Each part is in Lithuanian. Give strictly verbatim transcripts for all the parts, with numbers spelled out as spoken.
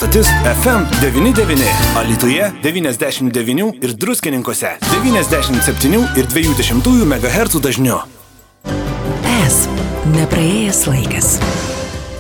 Stotis F M devyni devyni, Alytuje devyniasdešimt devyni ir Druskininkuose devyniasdešimt septyni ir dvi dešimtųjų megahercų dažniu. Es nepraėjęs laikas.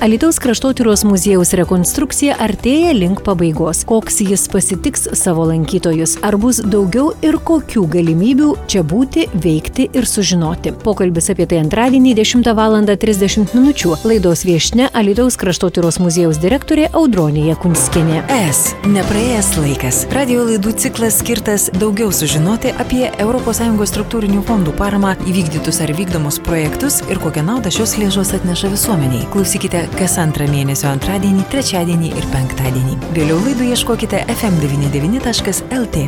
Alytaus kraštotyros muziejaus rekonstrukcija artėja link pabaigos. Koks jis pasitiks savo lankytojus? Ar bus daugiau ir kokių galimybių čia būti, veikti ir sužinoti? Pokalbis apie tai antradienį dešimtą valandą trisdešimt minučių. Laidos viešnia Alytaus kraštotyros muziejaus direktorė Audronė Jakunskienė. Es nepraėjęs laikas. Radio laidų ciklas skirtas daugiau sužinoti apie Europos Sąjungos struktūrinių fondų paramą, įvykdytus ar vykdomus projektus ir kokią naudą šios lėšos atneša visuomeniai. Klausykite kas antrą mėnesio antradienį, trečiadienį ir penktadienį. Vėliau laidų ieškokite ef em devyni devyni taškas el tė.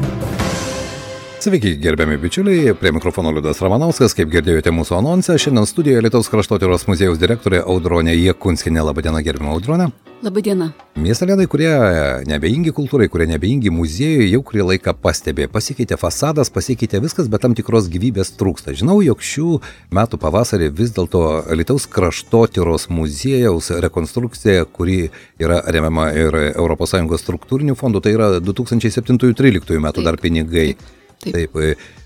Sveiki, gerbiami bičiuliai, prie mikrofono Liudas Ramanauskas, kaip girdėjote mūsų anonsą, šiandien studijoje Alytaus kraštotyros muziejaus direktorė Audronė Jakunskienė. Labadiena, gerbiama Audronė. Labadiena. Miestelėnai, kurie nebeingi kultūrai, kurie nebeingi muziejui, jau kurį laiką pastebė. Pasikeitė fasadas, pasikeitė viskas, bet tam tikros gyvybės trūksta. Žinau, jog šių metų pavasarį vis dėlto Alytaus kraštotyros muziejaus rekonstrukcija, kuri yra remiama ir Europos Sąjungos struktūrinių fondų, tai yra du tūkstančiai septintų tryliktų metų dar pinigai. Taip. Taip,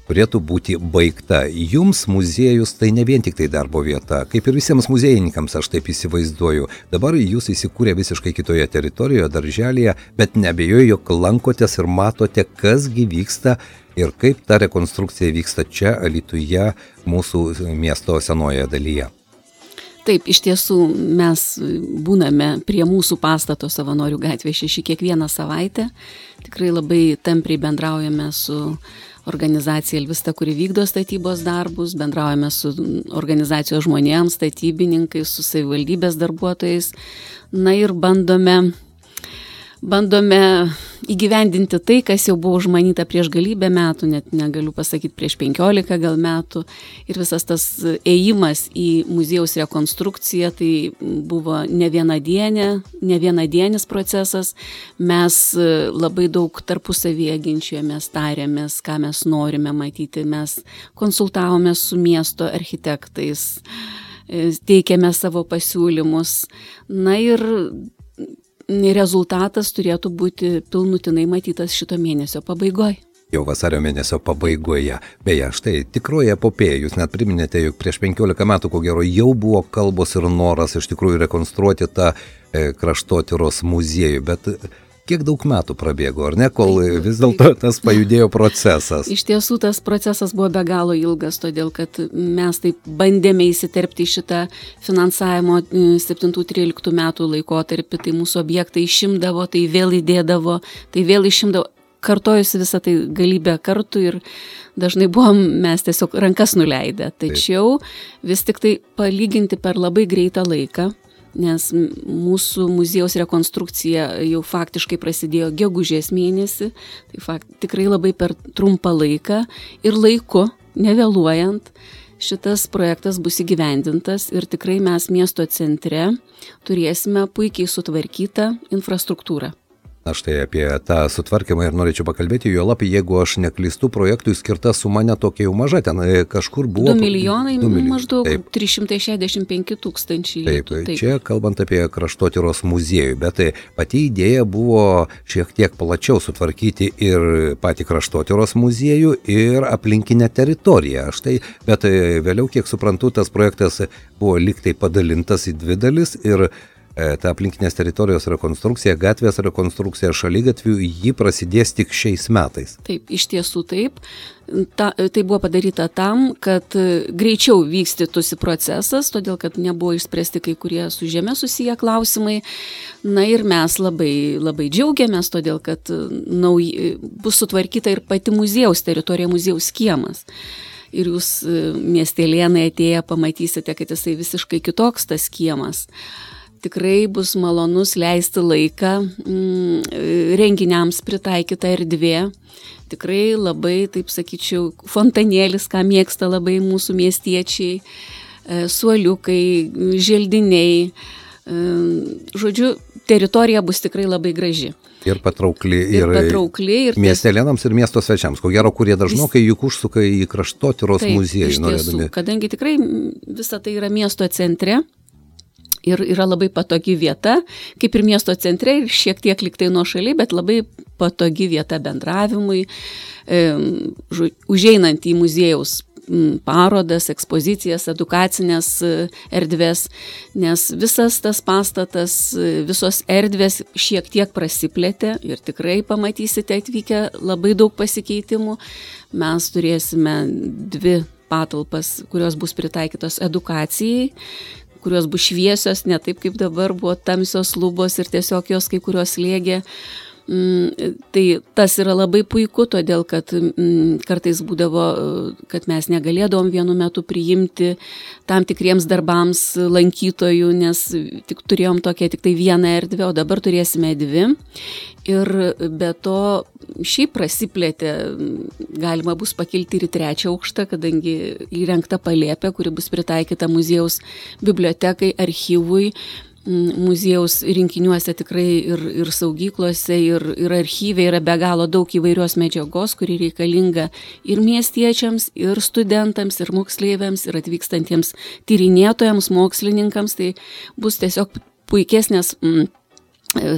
turėtų būti baigta. Jums muziejus tai ne vien tik tai darbo vieta, kaip ir visiems muziejininkams, aš taip įsivaizduoju. Dabar jūs įsikūrė visiškai kitoje teritorijoje, darželėje, bet neabejoju, jog lankotės ir matote, kasgi vyksta ir kaip ta rekonstrukcija vyksta čia, Alytuje, mūsų miesto senoje dalyje. Taip, iš tiesų mes būname prie mūsų pastato Savanorių gatvė šeši kiekvieną savaitę. Tikrai labai tampriai bendraujame su organizacija Elvista, kuri vykdo statybos darbus, bendraujame su organizacijos žmonėms, statybininkais, su savivaldybės darbuotojais. Na ir bandome, bandome įgyvendinti tai, kas jau buvo užmanyta prieš galybę metų, net negaliu pasakyti prieš penkiolika gal metų. Ir visas tas ėjimas į muziejaus rekonstrukciją, tai buvo ne vienadienė, ne vienadienis procesas. Mes labai daug tarpusavyje ginčijomės, tarėmės, ką mes norime matyti. Mes konsultavomės su miesto architektais, teikėme savo pasiūlymus. Na ir rezultatas turėtų būti pilnutinai matytas šito mėnesio pabaigoje. Jau vasario mėnesio pabaigoje. Beje, štai tikroji epopėja, jūs net priminėte, jog prieš penkiolika metų, ko gero, jau buvo kalbos ir noras iš tikrųjų rekonstruoti tą e, kraštotyros muziejų, bet kiek daug metų prabėgo, ar ne, kol taip, vis dėlto tas pajudėjo procesas? Iš tiesų tas procesas buvo be galo ilgas, todėl kad mes taip bandėme įsiterpti į šitą finansavimo septintų tryliktų metų laikotarpį, tai mūsų objektai išimdavo, tai vėl įdėdavo, tai vėl išimdavo, kartojusi visą tai galybę kartų ir dažnai buvom mes tiesiog rankas nuleidę. Tačiau vis tik tai palyginti per labai greitą laiką, nes mūsų muziejaus rekonstrukcija jau faktiškai prasidėjo gegužės mėnesį, tai fakt, tikrai labai per trumpą laiką ir laiku, nevėluojant, šitas projektas bus įgyvendintas ir tikrai mes miesto centre turėsime puikiai sutvarkytą infrastruktūrą. Aš tai apie tą sutvarkymą ir norėčiau pakalbėti, jo lapį, jeigu aš neklystu, projektui skirta suma netokia jau maža, ten kažkur buvo... du milijonai, du milijonai. maždaug taip. trys šimtai šešiasdešimt penki tūkstančiai. Taip, taip, čia kalbant apie kraštotyros muziejų, bet tai pati idėja buvo šiek tiek plačiau sutvarkyti ir patį kraštotyros muziejų ir aplinkinę teritoriją. Aš tai, bet vėliau, kiek suprantu, tas projektas buvo lyg tai padalintas į dvi dalis ir ta aplinkinės teritorijos rekonstrukcija, gatvės rekonstrukcija šaligatvių, ji prasidės tik šiais metais. Taip, iš tiesų taip. Ta, tai buvo padaryta tam, kad greičiau vykstytųsi procesas, todėl kad nebuvo išspręsti kai kurie su žeme susiję klausimai. Na ir mes labai, labai džiaugiamės, todėl kad nauj, bus sutvarkyta ir pati muziejaus teritorija, muziejaus kiemas. Ir jūs miestelėnai atėję pamatysite, kad jisai visiškai kitoks tas kiemas. Tikrai bus malonus leisti laiką, renginiams pritaikyta erdvė. Tikrai labai, taip sakyčiau, fontanėlis, ką mėgsta labai mūsų miestiečiai, suoliukai, želdiniai. Žodžiu, teritorija bus tikrai labai graži. Ir patraukli, ir, ir, patraukli, ir miestelėnams ir miesto svečiams, ko gero, kurie dažnokai juk užsuka į kraštotyros muziejų. Taip, iš tiesų, kadangi tikrai visa tai yra miesto centre, Ir yra labai patogi vieta, kaip ir miesto centre, ir šiek tiek liktai nuošaliai, bet labai patogi vieta bendravimui, e, užeinant į muziejaus parodas, ekspozicijas, edukacinės erdvės, nes visas tas pastatas, visos erdvės šiek tiek prasiplėtė ir tikrai pamatysite atvykę labai daug pasikeitimų. Mes turėsime dvi patalpas, kurios bus pritaikytos edukacijai, kurios bus šviesios, ne taip kaip dabar buvo tamsios lubos ir tiesiog jos kai kurios lėgė. Tai tas yra labai puiku, todėl kad kartais būdavo, kad mes negalėdavom vienu metu priimti tam tikriems darbams lankytojų, nes tik turėjom tokią tik tai vieną erdvę, o dabar turėsime dvi. Ir be to šiaip prasiplėtė, galima bus pakilti ir į trečią aukštą, kadangi įrengta palėpė, kuri bus pritaikyta muziejaus bibliotekai, archyvui. Muziejaus rinkiniuose tikrai ir, ir saugyklose, ir, ir archyve yra be galo daug įvairios medžiagos, kuri reikalinga ir miestiečiams, ir studentams, ir moksleiviams, ir atvykstantiems tyrinėtojams, mokslininkams. Tai bus tiesiog puikesnės mm,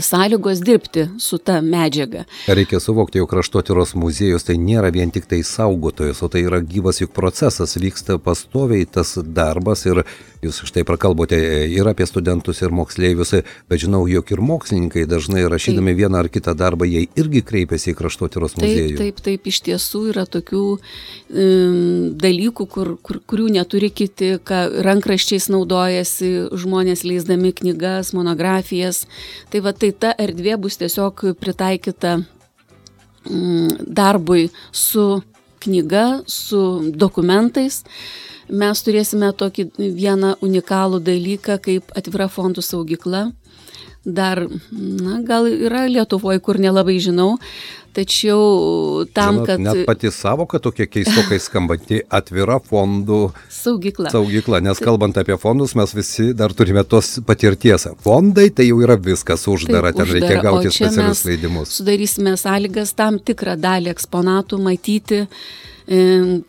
sąlygos dirbti su ta medžiaga. Reikia suvokti, jog kraštotyros muziejus tai nėra vien tik tai saugotojas, o tai yra gyvas juk procesas, vyksta pastoviai tas darbas ir jūs štai prakalbote ir apie studentus, ir moksleivius, bet žinau, jog ir mokslininkai dažnai rašydami taip. Vieną ar kitą darbą, jie irgi kreipiasi į kraštotyros muziejų. Taip, taip, taip, iš tiesų yra tokių um, dalykų, kur, kur, kurių neturi kiti, ką rankraščiais naudojasi žmonės leisdami knygas, monografijas. Tai va, tai ta erdvė bus tiesiog pritaikyta um, darbui su knyga, su dokumentais. Mes turėsime tokį vieną unikalų dalyką kaip atvira fondų saugykla. Dar, na, gal yra Lietuvoje, kur nelabai žinau, tačiau tam, Žinot, kad... Net pati savoka tokia keistokai skambanti atvira fondų saugykla. saugykla, nes kalbant apie fondus, mes visi dar turime tos patirties. Fondai tai jau yra viskas uždara, Taip, ten uždara, reikia gauti specialius mes leidimus. Sudarysime sąlygas tam tikrą dalį eksponatų matyti,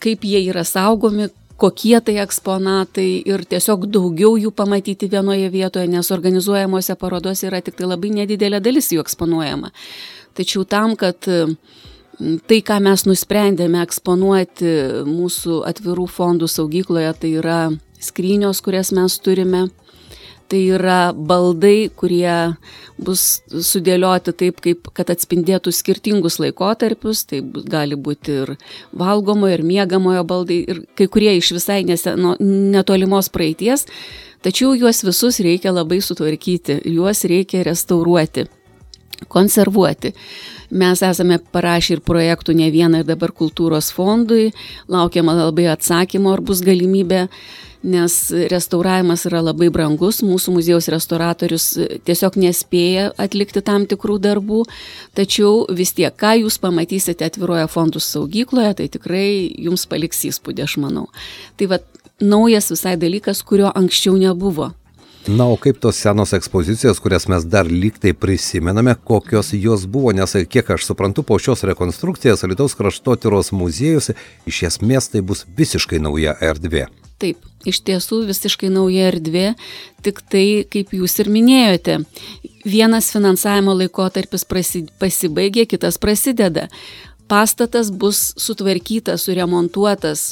kaip jie yra saugomi, kokie tai eksponatai ir tiesiog daugiau jų pamatyti vienoje vietoje, nes organizuojamuose parodose yra tik tai labai nedidelė dalis jų eksponuojama. Tačiau tam, kad tai, ką mes nusprendėme eksponuoti mūsų atvirų fondų saugykloje, tai yra skrynios, kurias mes turime, tai yra baldai, kurie bus sudėlioti taip, kaip, kad atspindėtų skirtingus laikotarpius, tai gali būti ir valgomojo, ir miegamojo baldai, ir kai kurie iš visai neseno, netolimos praeities, tačiau juos visus reikia labai sutvarkyti, juos reikia restauruoti, konservuoti. Mes esame parašę ir projektų ne vieną ir dabar kultūros fondui, laukiama labai atsakymo, ar bus galimybė, nes restauravimas yra labai brangus, mūsų muziejaus restauratorius tiesiog nespėja atlikti tam tikrų darbų, tačiau vis tiek, ką jūs pamatysite atviroje fondų saugykloje, tai tikrai jums paliks įspūdį, aš manau. Tai va, naujas visai dalykas, kurio anksčiau nebuvo. Na, o kaip tos senos ekspozicijos, kurias mes dar lygtai prisimename, kokios jos buvo, nes kiek aš suprantu, po šios rekonstrukcijos Alytaus kraštotyros muziejus iš esmės tai bus visiškai nauja erdvė. Taip, iš tiesų visiškai nauja erdvė, tik tai, kaip jūs ir minėjote, vienas finansavimo laikotarpis prasi, pasibaigė, kitas prasideda. Pastatas bus sutvarkytas, suremontuotas,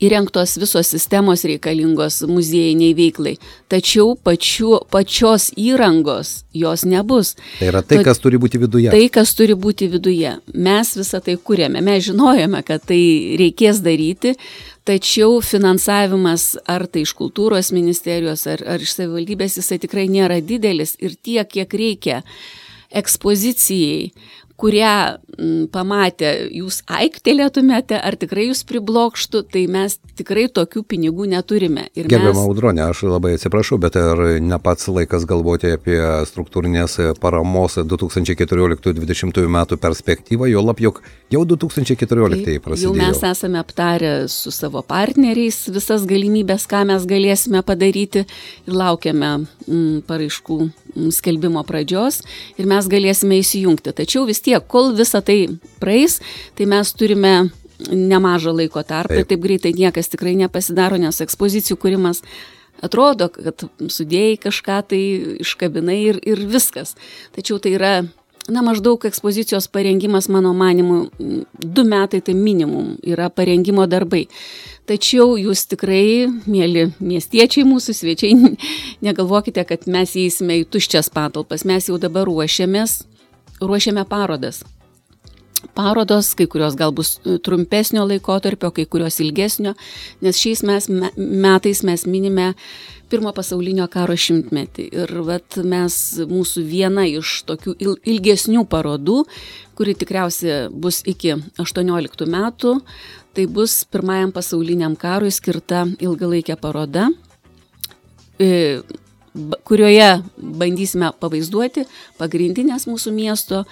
įrengtos visos sistemos reikalingos muziejiniai veiklai, tačiau pačiu, pačios įrangos jos nebus. Tai yra tai, kas turi būti viduje. Tai, kas turi būti viduje. Mes visą tai kūrėme, mes žinojome, kad tai reikės daryti, tačiau finansavimas ar tai iš kultūros ministerijos, ar, ar iš savivaldybės, jisai tikrai nėra didelis ir tiek, kiek reikia ekspozicijai, kurią m, pamatę jūs aiktelėtumėte, ar tikrai jūs priblokštų, tai mes tikrai tokių pinigų neturime. Ir Gerbiama mes... Audronė, aš labai atsiprašau, bet ar ne pats laikas galvoti apie struktūrinės paramos du tūkstančiai keturioliktų dvidešimtų metų perspektyvą, jo lab, jog jau du tūkstančiai keturioliktieji prasidėjo. Jau mes esame aptarę su savo partneriais visas galimybės, ką mes galėsime padaryti ir laukiame m, paraiškų m, skelbimo pradžios ir mes galėsime įsijungti. Tačiau vis tiek, kol visa tai praeis, tai mes turime nemažą laiko tarpą ir taip greitai niekas tikrai nepasidaro, nes ekspozicijų kūrimas Atrodo, kad sudėjai kažką tai iškabinai ir, ir viskas. Tačiau tai yra, na, maždaug ekspozicijos parengimas, mano manimu, du metai tai minimum yra parengimo darbai. Tačiau jūs tikrai, mėly miestiečiai, mūsų svečiai, negalvokite, kad mes įeisime į tuščias patalpas. Mes jau dabar ruošiamės, ruošiame parodas. Parodos, kai kurios gal bus trumpesnio laikotarpio, kai kurios ilgesnio, nes šiais mes, metais mes minime pirmo pasaulinio karo šimtmetį. Ir vat mes, mūsų viena iš tokių ilgesnių parodų, kuri tikriausiai bus iki aštuonioliktų metų, tai bus pirmajam pasauliniam karui skirta ilgalaikė paroda, kurioje bandysime pavaizduoti pagrindinės mūsų miesto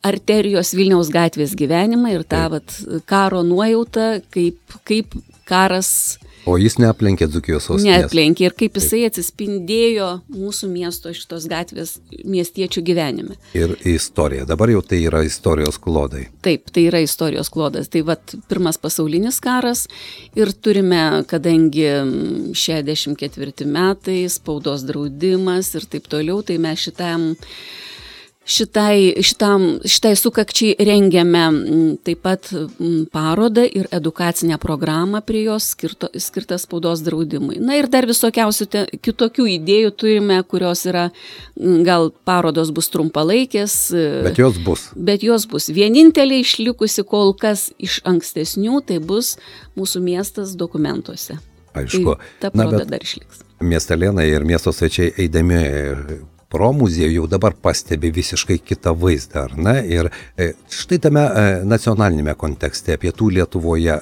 arterijos Vilniaus gatvės gyvenimą ir tą vat, karo nuojautą, kaip, kaip karas... O jis neaplenkė Dzūkijos sostinės. Neaplenkė ir kaip jisai atsispindėjo mūsų miesto šitos gatvės miestiečių gyvenime. Ir istorija. Dabar jau tai yra istorijos klodai. Taip, tai yra istorijos klodas. Tai vat pirmas pasaulinis karas ir turime, kadangi šešiasdešimt ketvirti metai, spaudos draudimas ir taip toliau, tai mes šitam Šitai, šitam, šitai sukakčiai rengiame taip pat parodą ir edukacinę programą prie jos skirto, skirtą spaudos draudimui. Na ir dar visokiausių te, kitokių idėjų turime, kurios yra, gal parodos bus trumpalaikės. Bet jos bus. Bet jos bus. Vienintelė išlikusi kol kas iš ankstesnių, tai bus mūsų miestas dokumentuose. Aišku. Tai ta paroda dar išliks. Miestelėnai ir miesto svečiai eidami pro muziejų jau dabar pastebi visiškai kitą vaizdą, ar ne? Ir štai tame nacionalinėme kontekste pietų Lietuvoje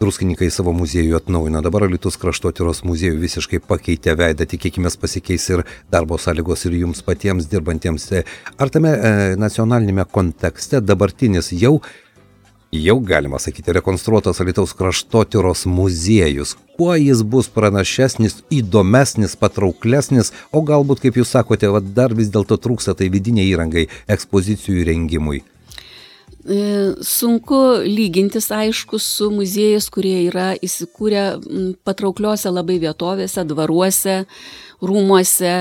druskininkai savo muziejų atnaujino. Dabar Alytus kraštotyros muziejų visiškai pakeitė veidą, tikėkime pasikeis ir darbo sąlygos ir jums patiems dirbantiems. Ar tame nacionalinėme kontekste dabartinis jau, jau galima sakyti, rekonstruotas Alytaus kraštotyros muziejus, kuo jis bus pranašesnis, įdomesnis, patrauklesnis, o galbūt, kaip jūs sakote, va, dar vis dėlto trūksta tai vidiniai įrangai ekspozicijų rengimui? Sunku lygintis, aišku, su muziejais, kurie yra įsikūrę patraukliuose labai vietovėse, dvaruose, rūmuose.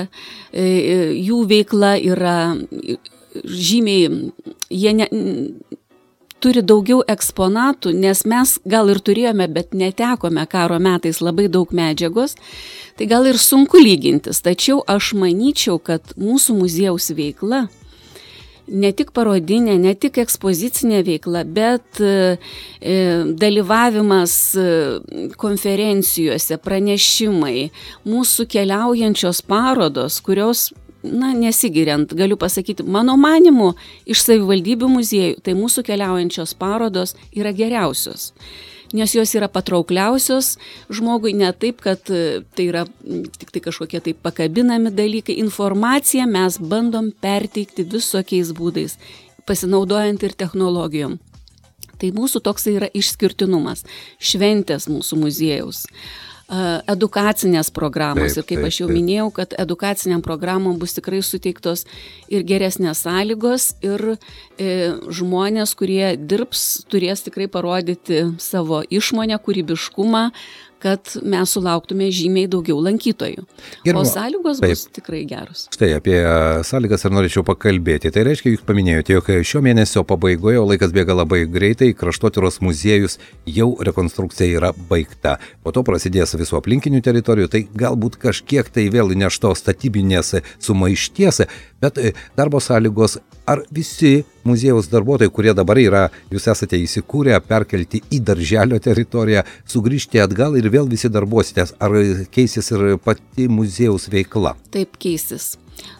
Jų veikla yra žymiai, jie ne... turi daugiau eksponatų, nes mes gal ir turėjome, bet netekome karo metais labai daug medžiagos, tai gal ir sunku lygintis. Tačiau aš manyčiau, kad mūsų muziejaus veikla, ne tik parodinė, ne tik ekspozicinė veikla, bet e, dalyvavimas konferencijose, pranešimai, mūsų keliaujančios parodos, kurios na, nesigiriant, galiu pasakyti, mano manimu, iš savivaldybių muziejų, tai mūsų keliaujančios parodos yra geriausios, nes jos yra patraukliausios žmogui, ne taip, kad tai yra tik tai kažkokie tai pakabinami dalykai. Informaciją mes bandom perteikti visokiais būdais, pasinaudojant ir technologijom. Tai mūsų toks yra išskirtinumas, šventės mūsų muziejaus. Edukacinės programos taip, ir kaip taip, aš jau taip. minėjau, kad edukaciniam programom bus tikrai suteiktos ir geresnės sąlygos ir e, žmonės, kurie dirbs, turės tikrai parodyti savo išmonę, kūrybiškumą, kad mes sulauktume žymiai daugiau lankytojų. Gerbiama, o sąlygos taip. bus tikrai geros. Štai apie sąlygas ir norėčiau pakalbėti. Tai reiškia, jūs paminėjote, jog šio mėnesio pabaigoje, o laikas bėga labai greitai, kraštotyros muziejus jau rekonstrukcija yra baigta. Po to prasidės visų aplinkinių teritorijų, tai galbūt kažkiek tai vėl įneš to statybinės sumaišties, bet darbo sąlygos, ar visi muziejaus darbuotojai, kurie dabar yra, jūs esate įsikūrę, perkelti į darželio teritoriją, sugrįžti atgal ir vėl visi darbuositės, ar keisis ir pati muziejaus veikla? Taip, keisis.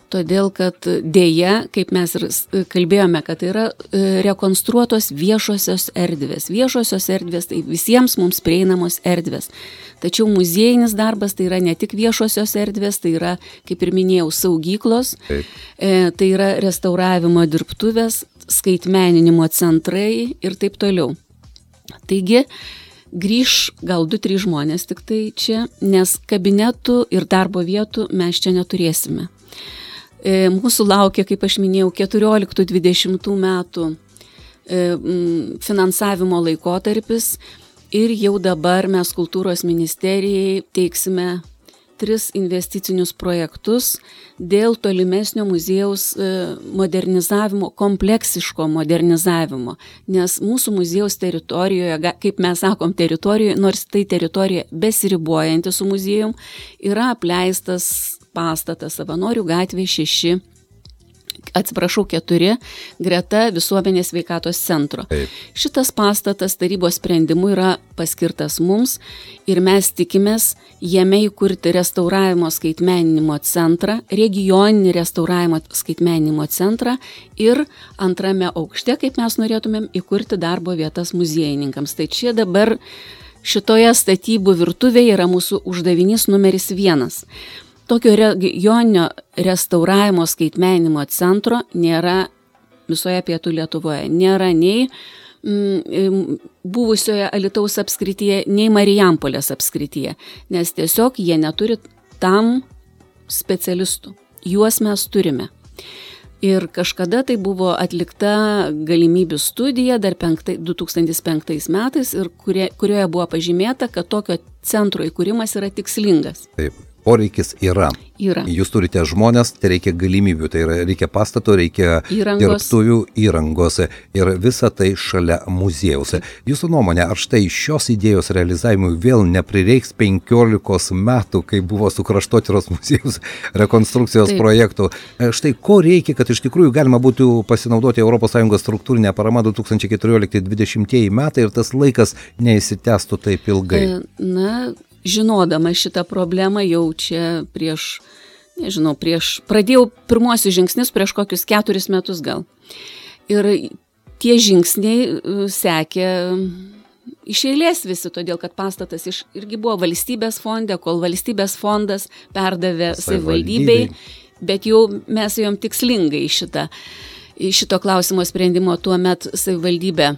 Todėl, kad dėja, kaip mes ir kalbėjome, kad yra rekonstruotos viešosios erdvės. Viešosios erdvės tai visiems mums prieinamos erdvės. Tačiau muziejinis darbas tai yra ne tik viešosios erdvės, tai yra, kaip ir minėjau, saugyklos, e, tai yra restauravimo dirbtuvės, skaitmeninimo centrai ir taip toliau. Taigi, grįž gal du, trys žmonės tik tai čia, nes kabinetų ir darbo vietų mes čia neturėsime. Mūsų laukia, kaip aš minėjau, keturioliktų dvidešimtų metų finansavimo laikotarpis ir jau dabar mes kultūros ministerijai teiksime tris investicinius projektus dėl tolimesnio muziejaus modernizavimo, kompleksiško modernizavimo, nes mūsų muziejaus teritorijoje, kaip mes sakom teritorijoje, nors tai teritorija besiribuojanti su muziejum, yra apleistas pastatas Savanorių gatvė šeši, atsiprašau, keturi, greta visuomenės sveikatos centro. Taip. Šitas pastatas tarybos sprendimu yra paskirtas mums ir mes tikimės jame įkurti restauravimo skaitmeninimo centrą, regioninį restauravimo skaitmeninimo centrą ir antrame aukšte, kaip mes norėtumėm, įkurti darbo vietas muziejininkams. Tai čia dabar šitoje statybų virtuvėje yra mūsų uždavinys numeris vienas. Tokio regioninio restauravimo skaitmeninimo centro nėra visoje pietų Lietuvoje. Nėra nei mm, buvusioje Alytaus apskrityje, nei Marijampolės apskrityje, nes tiesiog jie neturi tam specialistų. Juos mes turime. Ir kažkada tai buvo atlikta galimybių studija dar penktai, du tūkstantis penktais metais, ir kurie, kurioje buvo pažymėta, kad tokio centro įkūrimas yra tikslingas. Taip. Poreikis yra. Yra. Jūs turite žmonės, tai reikia galimybių, tai yra, reikia pastato, reikia Įrangos. dirbtuvių, įrangos ir visa tai šalia muziejaus. Jūsų nuomonė, ar štai šios idėjos realizavimui vėl neprireiks penkiolikos metų, kai buvo su Kraštotyros muziejaus rekonstrukcijos Taip. projektų? Štai ko reikia, kad iš tikrųjų galima būtų pasinaudoti Europos Sąjungos struktūrinę paramą du tūkstančiai keturiolikti dvidešimtieji metai ir tas laikas neįsitęstų taip ilgai? Na, žinodama šitą problemą jau čia prieš, nežinau, prieš, pradėjau pirmuosius žingsnius prieš kokius keturis metus gal. Ir tie žingsniai sekė iš eilės visi, todėl kad pastatas iš, irgi buvo valstybės fonde, kol valstybės fondas perdavė savivaldybei, bet jau mes ėjom tikslingai šitą, šito klausimo sprendimo tuo met savivaldybė.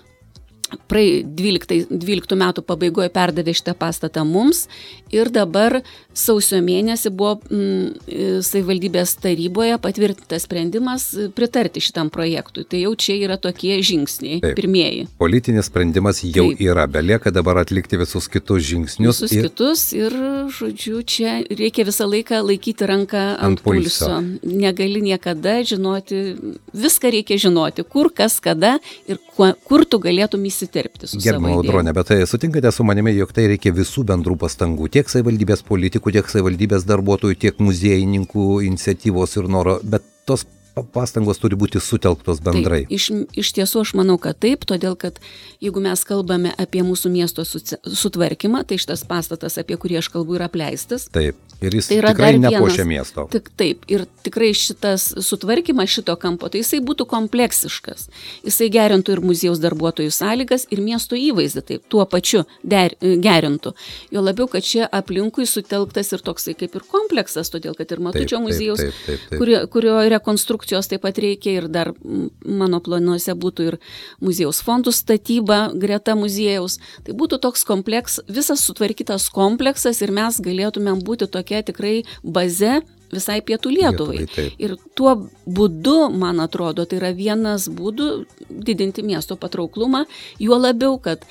Praei dvyliktų metų pabaigoje perdavė šitą pastatą mums ir dabar sausio mėnesį buvo mm, savivaldybės taryboje patvirtintas sprendimas pritarti šitam projektui. Tai jau čia yra tokie žingsniai, Taip. pirmieji. Politinis sprendimas jau Taip. yra, belieka dabar atlikti visus kitus žingsnius. Visus ir... kitus ir, žodžiu, čia reikia visą laiką laikyti ranką ant, ant pulso. pulso. Negali niekada žinoti, viską reikia žinoti, kur, kas, kada ir kuo, kur tu galėtum įsitikti. Gerbiama Audronė, bet tai sutinkate su manimi, jog tai reikia visų bendrų pastangų, tiek savivaldybės politikų, tiek savivaldybės darbuotojų, tiek muziejininkų iniciatyvos ir noro, bet tos pastangos turi būti sutelktos bendrai. Taip, iš, iš tiesų aš manau, kad taip, todėl kad jeigu mes kalbame apie mūsų miesto sutvarkymą, tai šitas pastatas, apie kurį aš kalbu, yra apleistas. Taip, ir jis tai tikrai nepuošia miesto. Tik taip, ir tikrai šitas sutvarkymas šito kampo, tai jisai būtų kompleksiškas. Jisai gerintų ir muziejaus darbuotojų sąlygas, ir miesto įvaizdį taip, tuo pačiu der, gerintų. Jo labiau, kad čia aplinkui sutelktas ir toksai kaip ir kompleksas, todėl kad ir Matučio taip, muziejaus, taip, taip, taip, taip. Kurio, kurio rekonstrukcija taip pat reikia ir dar mano planuose būtų ir muziejaus fondų statyba greta muziejaus. Tai būtų toks kompleks, visas sutvarkytas kompleksas ir mes galėtumėm būti tokia tikrai baze visai pietų Lietuvai. Lietuvai ir tuo būdu, man atrodo, tai yra vienas būdų didinti miesto patrauklumą, juo labiau, kad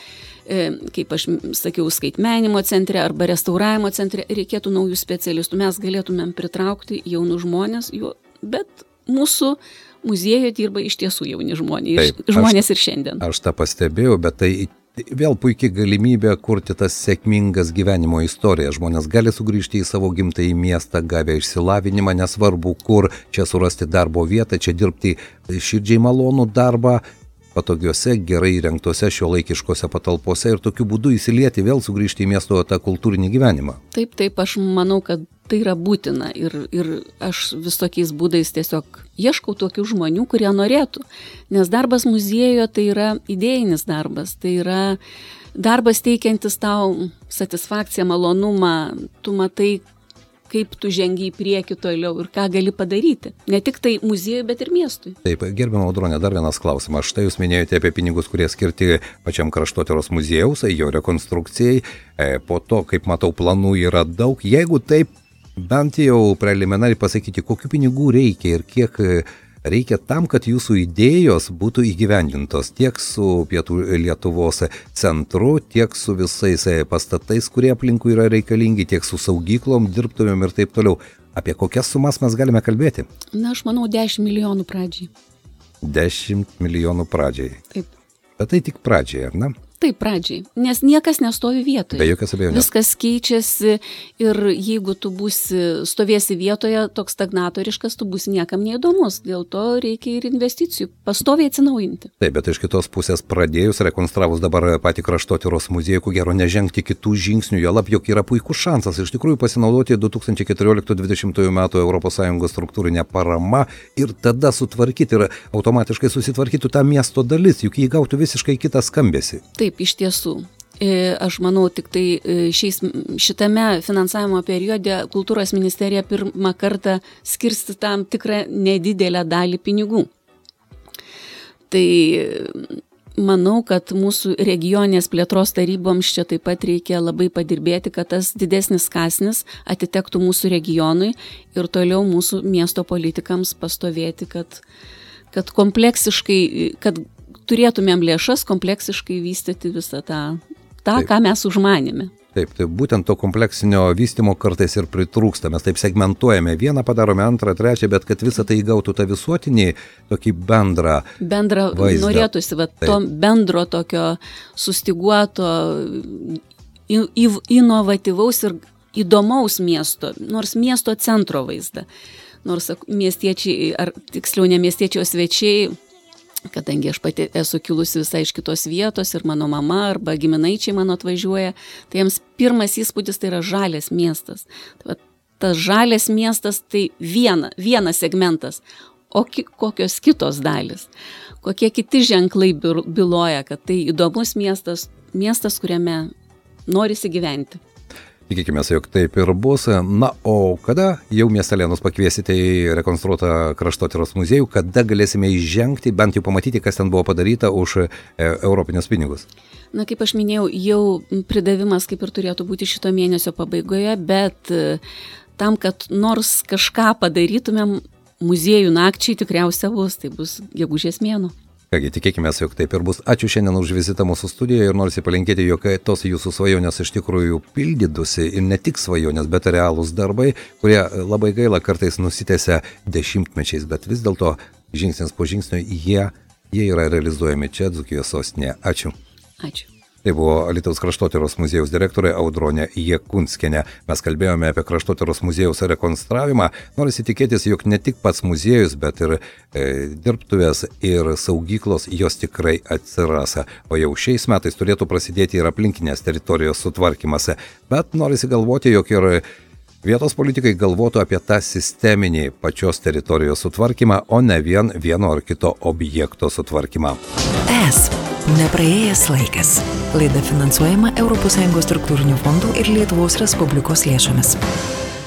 kaip aš sakiau, skaitmenimo centre arba restauravimo centre reikėtų naujų specialistų. Mes galėtumėm pritraukti jaunus žmonės, bet mūsų muziejuje dirba iš tiesų jauni žmonės, Taip, žmonės aš, ir šiandien. Aš tą pastebėjau, bet tai vėl puikiai galimybė kurti tas sėkmingas gyvenimo istorijas. Žmonės gali sugrįžti į savo gimtąjį miestą, gavę išsilavinimą, nesvarbu kur, čia surasti darbo vietą, čia dirbti širdžiai malonų darbą, patogiuose, gerai įrengtose šiuolaikiškose patalpose ir tokiu būdu įsilieti, vėl sugrįžti į miesto tą kultūrinį gyvenimą. Taip, taip, aš manau, kad tai yra būtina ir, ir aš visokiais būdais tiesiog ieškau tokių žmonių, kurie norėtų, nes darbas muziejuje tai yra idėjinis darbas, tai yra darbas teikiantis tau satisfakciją, malonumą, tu matai, kaip tu žengi į priekį toliau ir ką gali padaryti. Ne tik tai muziejui, bet ir miestui. Taip, gerbiama Audronė, dar vienas klausimas. Štai jūs minėjote apie pinigus, kurie skirti pačiam Kraštotyros muziejaus, jo rekonstrukcijai. Po to, kaip matau, planų yra daug. Jeigu taip, bent jau preliminariai pasakyti, kokių pinigų reikia ir kiek reikia tam, kad jūsų idėjos būtų įgyvendintos tiek su Pietų Lietuvos centru, tiek su visais pastatais, kurie aplinkui yra reikalingi, tiek su saugyklom, dirbtuvėm ir taip toliau. Apie kokias sumas mes galime kalbėti? Na, aš manau, dešimt milijonų pradžiai. dešimt milijonų pradžiai. Taip. Bet tai tik pradžiai, ar ne? Taip, pradžiai, nes niekas nestovi vietoje. Be jokios abejonės. Viskas keičiasi ir jeigu tu būsi, stovėsi vietoje, toks stagnatoriškas, tu būsi niekam neįdomus. Dėl to reikia ir investicijų, pastoviai atsinaujinti. Taip, bet iš kitos pusės pradėjus, rekonstravus dabar patį Kraštotyros muziejų, ko gero nežengti kitų žingsnių, juolab, jog yra puikus šansas iš tikrųjų pasinaudoti du tūkstančiai keturioliktų dvidešimtųjų metų Europos Sąjungos struktūrinę paramą ir tada sutvarkyti ir automatiškai susitvarkytų tą miesto dalis, juk jį gautų visiškai kitą skambesį. Taip, iš tiesų. Aš manau, tik tai šiais, šitame finansavimo periode kultūros ministerija pirmą kartą skirsti tam tikrą nedidelę dalį pinigų. Tai manau, kad mūsų regioninės plėtros taryboms čia taip pat reikia labai padirbėti, kad tas didesnis kąsnis atitektų mūsų regionui ir toliau mūsų miesto politikams pastovėti, kad, kad kompleksiškai, kad turėtumėm lėšas kompleksiškai vystyti visą tą, tą ką mes užmanėme. Taip, tai būtent to kompleksinio vystymo kartais ir pritrūksta. Mes taip segmentuojame, vieną padarome, antrą, trečią, bet kad visą tai įgautų tą visuotinį, tokį bendrą Bendrą vaizdą. Norėtųsi, va, to bendro tokio sustiguoto, inovatyvaus ir įdomaus miesto, nors miesto centro vaizdą. Nors miestiečiai, ar tiksliau ne miestiečio svečiai, kadangi aš pati esu kilusi visai iš kitos vietos ir mano mama arba giminaičiai mano atvažiuoja, tai jiems pirmas įspūdis tai yra žalias miestas. Tai va, tas žalias miestas tai viena, vienas segmentas, o ki, kokios kitos dalis, kokie kiti ženklai byloja, kad tai įdomus miestas, miestas, kuriame norisi gyventi. Tikėkime, jog taip ir bus. Na, o kada jau miestelėnus pakviesite į rekonstruotą Kraštotyros muziejų, kada galėsime įžengti, bent jau pamatyti, kas ten buvo padaryta už e, europinius pinigus? Na, kaip aš minėjau, jau pridavimas kaip ir turėtų būti šito mėnesio pabaigoje, bet e, tam, kad nors kažką padarytumėm, muziejų nakčiai tikriausiai bus, tai bus gegužės mėnuo. Kągi, tikėkime, jog taip ir bus. Ačiū šiandien už vizitą mūsų studijoje ir norisi palinkėti, jog tos jūsų svajonės iš tikrųjų pildytųsi ir ne tik svajonės, bet ir realūs darbai, kurie labai gaila kartais nusitęsia dešimtmečiais, bet vis dėlto žingsnis po žingsnio jie, jie yra realizuojami čia Dzūkijos sostinėje. Ačiū. Ačiū. Tai buvo Alytaus Kraštotyros muziejaus direktorė Audronė Jakunskienė. Mes kalbėjome apie Kraštotyros muziejaus rekonstravimą. Norisi tikėtis, jog ne tik pats muziejus, bet ir e, dirbtuvės ir saugyklos jos tikrai atsiras. O jau šiais metais turėtų prasidėti ir aplinkinės teritorijos sutvarkymas. Bet norisi galvoti, jog ir vietos politikai galvotų apie tą sisteminį pačios teritorijos sutvarkymą, o ne vien vieno ar kito objekto sutvarkymą. Es. Nepraėjęs laikas. Laida finansuojama Europos Sąjungos struktūrinių fondų ir Lietuvos Respublikos lėšomis.